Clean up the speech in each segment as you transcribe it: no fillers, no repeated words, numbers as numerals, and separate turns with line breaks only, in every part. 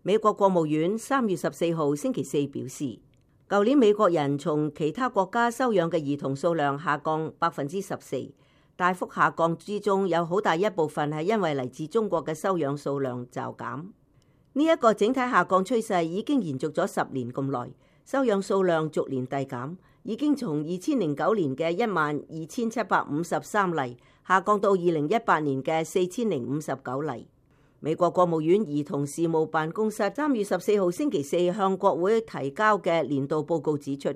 美國國務院3月14號星期四表示，舊年美國人從其他國家收養嘅兒童數量下降14%，大幅下降之中有好大一部分係因為嚟自中國嘅收養數量驟減。呢一個整體下降趨勢已經延續咗10年咁耐，收養數量逐年遞減，已經從2009年嘅12,753例下降到2018年嘅4,059例。美國國務院兒童事務辦公室3月14號星期四向國會提交嘅年度報告指出，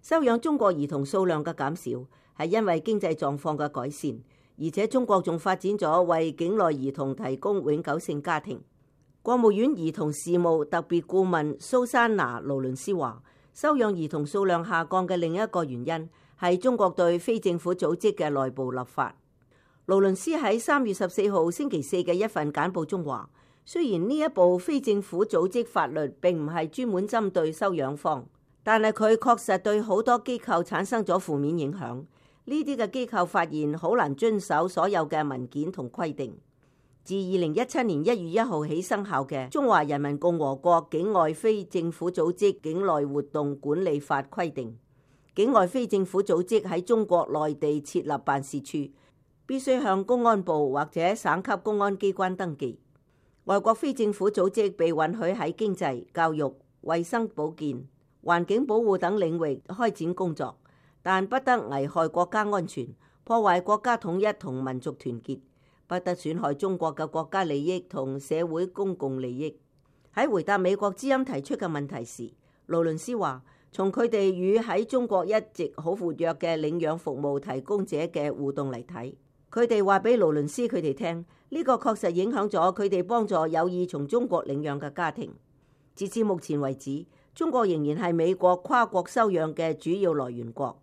收養中國兒童數量嘅減少係因為經濟狀況嘅改善，而且中國仲發展咗為境內兒童提供永久性家庭。國務院兒童事務特別顧問蘇珊娜·勞倫斯話，收養兒童數量下降嘅另一個原因係中國對非政府組織嘅內部立法。勞倫斯喺3月14號星期四嘅一份簡報中話，雖然呢一部非政府組織法律並唔係專門針對收養方，但係佢確實對好多機構產生咗負面影響。呢啲嘅機構發現好難遵守所有嘅文件同規定。自2017年1月1號起生效嘅《中華人民共和國境外非政府組織境內活動管理法》規定，境外非政府組織喺中國內地設立辦事處，必須向公安部或者省級公安機關登記。外國非政府組織被允許喺經濟、教育、衛生保健、環境保護等領域開展工作，但不得危害國家安全、破壞國家統一同民族團結，不得損害中國嘅國家利益同社會公共利益。喺回答美國之音提出嘅問題時，勞倫斯話，從佢哋與喺中國一直好活躍嘅領養服務提供者嘅互動嚟睇，佢哋話俾勞倫斯佢哋聽，呢個確實影響咗佢哋幫助有意從中國領養嘅家庭。截至目前為止，中國仍然係美國跨國收養嘅主要來源國。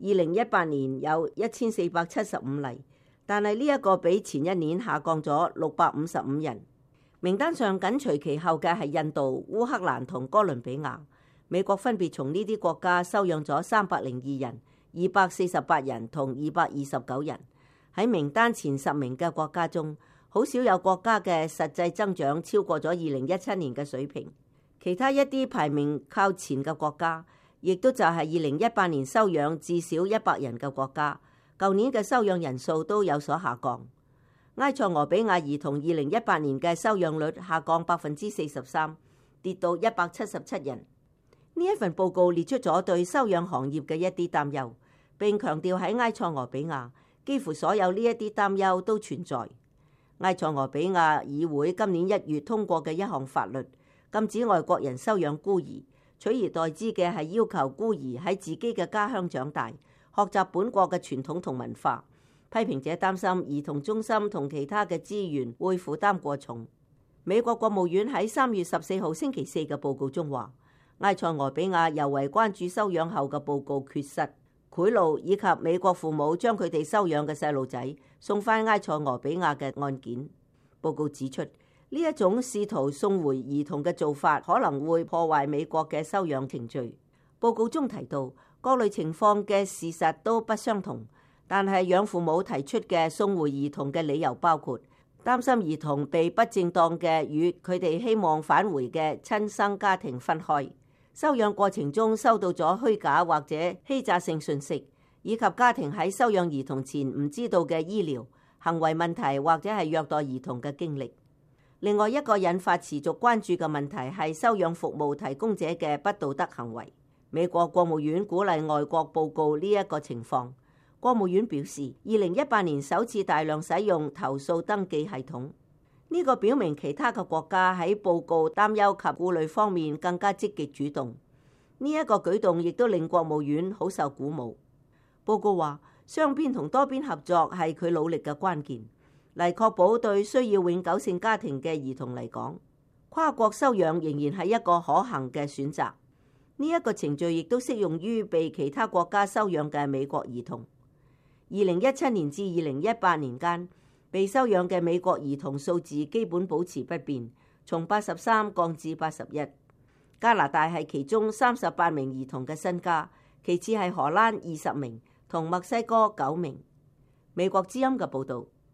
2018年有1475例，但係呢一個比前一年下降咗655人。名單上緊隨其後嘅係印度、烏克蘭同哥倫比亞。美國分別從呢啲國家收養咗302人、248人同229人。喺名單前10名嘅國家中，好少有國家嘅實際增長超過咗2017年嘅水平。其他一啲排名靠前嘅國家，亦都就係2018年收養至少100人嘅國家，舊年嘅收養人數都有所下降。埃塞俄比亞兒童2018年嘅收養率下降43%，跌到177人。呢一份報告列出咗對收養行業嘅一啲擔憂，並強調喺埃塞俄比亞，幾乎所有呢一啲擔憂都存在。埃塞俄比亞議會今年1月通過嘅一項法律，禁止外國人收養孤兒，取而代之嘅係要求孤兒喺自己嘅家鄉長大，學習本國嘅傳統同文化。批評者擔心兒童中心同其他嘅資源會負擔過重。美國國務院喺3月14號星期四嘅報告中話，埃塞俄比亞尤為關注收養後嘅報告缺失、賄賂以及美國父母將佢哋收養嘅細路仔送返埃塞俄比亞嘅案件。報告指出，呢一種試圖送回兒童嘅做法可能會破壞美國嘅收養程序。報告中提到，各類情況嘅事實都不相同，但係養父母提出嘅送回兒童嘅理由包括擔心兒童被不正當嘅與佢哋希望返回嘅親生家庭分開，收養過程中收到咗虛假或者欺詐性信息，以及家庭喺收養兒童前唔知道嘅醫療、行為問題或者係虐待兒童嘅經歷。另外一個引發持續關注嘅問題係收養服務提供者嘅不道德行為。美國國務院鼓勵外國報告呢一個情況。國務院表示，2018年首次大量使用投訴登記系統，呢個表明其他嘅國家喺報告擔憂及顧慮方面更加積極主動。呢一個舉動亦都令國務院好受鼓舞。報告話，雙邊同多邊合作係佢努力嘅關鍵，嚟確保對需要永久性家庭嘅兒童嚟講，跨國收養仍然係一個可行嘅選擇。呢一個程序亦都適用於被其他國家收養嘅美國兒童。2017年至2018年間，被收養嘅美國兒童數字基本保持不變，從83降至81。加拿大係其中38名兒童嘅新家，其次係荷蘭20名同墨西哥9名。美國之音嘅報導。